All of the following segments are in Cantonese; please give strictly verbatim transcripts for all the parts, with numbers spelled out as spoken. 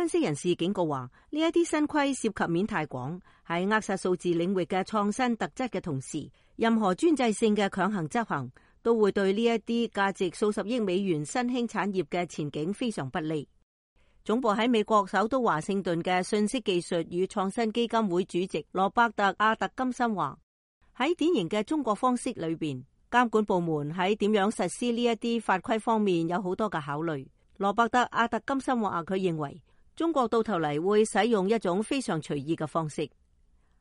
分析人士警告話，呢一啲新規涉及面太廣，喺扼殺數字領域嘅創新特質嘅同時，任何專制性嘅強行執行都會對呢一啲價值數十億美元新興產業嘅前景非常不利。總部喺美國首都華盛頓嘅信息技術與創新基金會主席羅伯特阿特金森話，喺典型嘅中國方式裏邊，監管部門喺點樣實施呢一啲法規方面有好多嘅考慮。羅伯特阿特金森話，佢認為中國到頭嚟會使用一種非常隨意嘅方式。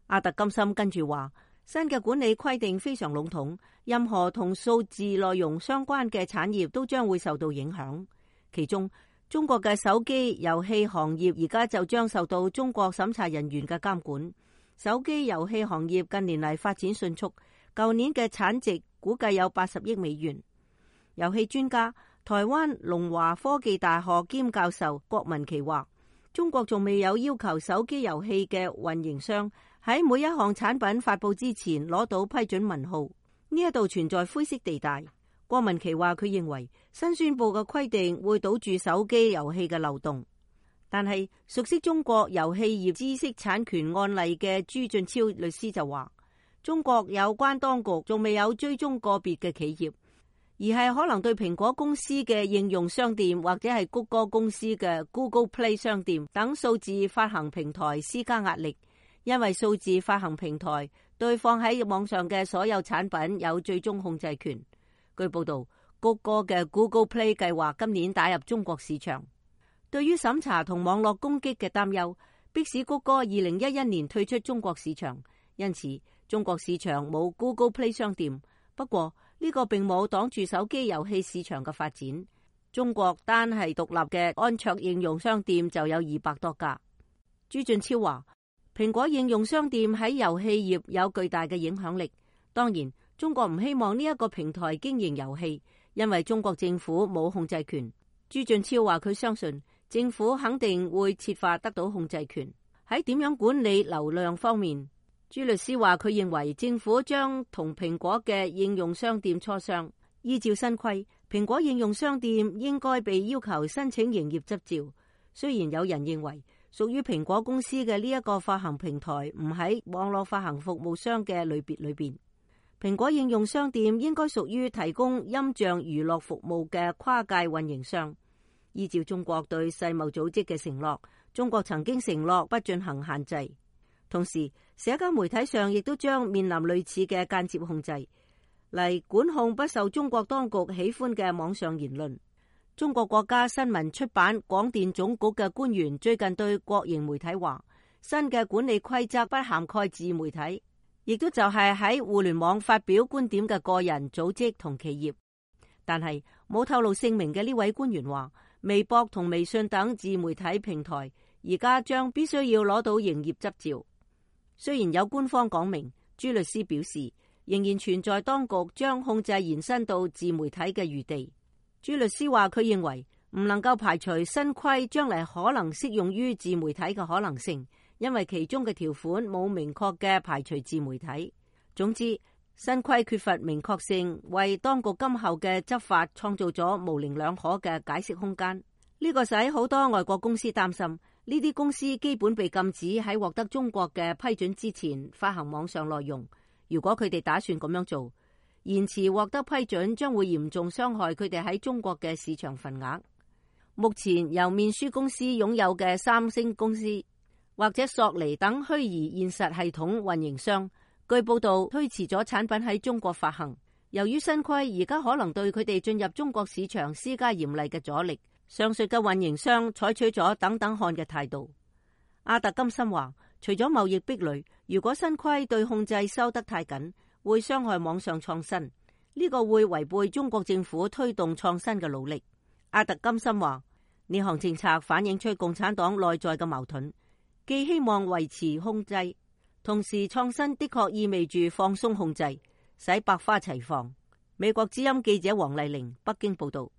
阿特金森跟住話，新嘅管理規定非常籠統，任何同數字內容相關嘅產業都將會受到影響。其中，中國嘅手機遊戲行業而家就將受到中國審查人員嘅監管。手機遊戲行業近年嚟發展迅速，舊年嘅產值估計有八十億美元。遊戲專家台灣龍華科技大學兼教授郭文琪話，中國仲未有要求手機遊戲嘅運營商喺每一項產品發佈之前攞到批准文號，呢一度存在灰色地帶。郭文琪話，佢認為新宣布嘅規定會堵住手機遊戲嘅漏洞，但係熟悉中國遊戲業知識產權案例嘅朱俊超律師就話，中國有關當局仲未有追蹤個別嘅企業，而係可能對蘋果公司嘅應用商店或者係谷歌公司嘅 Google Play 商店等數字發行平台施加壓力，因為數字發行平台對放喺網上嘅所有產品有最終控制權。據報道，谷歌嘅 Google Play 計劃今年打入中國市場。對於審查同網絡攻擊嘅擔憂，迫使谷歌二零一一年退出中國市場，因此中國市場冇 Google Play 商店。不過呢個並冇擋住手機遊戲市場嘅發展。中國單係獨立嘅安卓應用商店就有二百多家。朱俊超話，蘋果應用商店喺遊戲業有巨大嘅影響力。當然，中國唔希望呢一個平台經營遊戲，因為中國政府冇控制權。朱俊超話，佢相信政府肯定會設法得到控制權。喺點樣管理流量方面，朱律師話，佢認為政府將同蘋果嘅應用商店磋商，依照新規，蘋果應用商店應該被要求申請營業執照。雖然有人認為屬於蘋果公司嘅呢一個發行平台唔喺網絡發行服務商嘅類別裏邊，蘋果應用商店應該屬於提供音像娛樂服務嘅跨界運營商。依照中國對世貿組織嘅承諾，中國曾經承諾不進行限制。同時，社交媒體上亦都將面臨類似嘅間接控制，嚟管控不受中國當局喜歡嘅網上言論。中國國家新聞出版廣電總局嘅官員最近對國營媒體話，新嘅管理規則不涵蓋自媒體，亦都就係喺互聯網發表觀點嘅個人、組織同企業。但係冇透露姓名嘅呢位官員話，微博同微信等自媒體平台而家將必須要攞到營業執照。雖然有官方講明，朱律師表示仍然存在當局將控制延伸到自媒體嘅餘地。朱律師話，佢認為唔能夠排除新規將嚟可能適用於自媒體嘅可能性，因為其中嘅條款冇明確嘅排除自媒體。總之，新規缺乏明確性，為當局今後嘅執法創造咗模棱兩可嘅解釋空間。呢個使好多外國公司擔心，呢啲公司基本被禁止喺獲得中國嘅批准之前發行網上內容。如果佢哋打算咁樣做，延遲獲得批准將會嚴重傷害佢哋喺中國嘅市場份額。目前由面書公司擁有嘅三星公司或者索尼等虛擬現實系統運營商，據報道推遲咗產品喺中國發行。由於新規而家可能對佢哋進入中國市場施加嚴厲嘅阻力，上述嘅運營商採取咗等等看嘅態度。阿特金森話，除咗貿易壁壘，如果新規對控制收得太緊，會傷害網上創新，呢個會違背中國政府推動創新嘅努力。阿特金森話，呢項政策反映出共產黨內在嘅矛盾，既希望維持控制，同時創新的確意味住放鬆控制，使百花齊放。美國之音記者黃麗玲北京報道。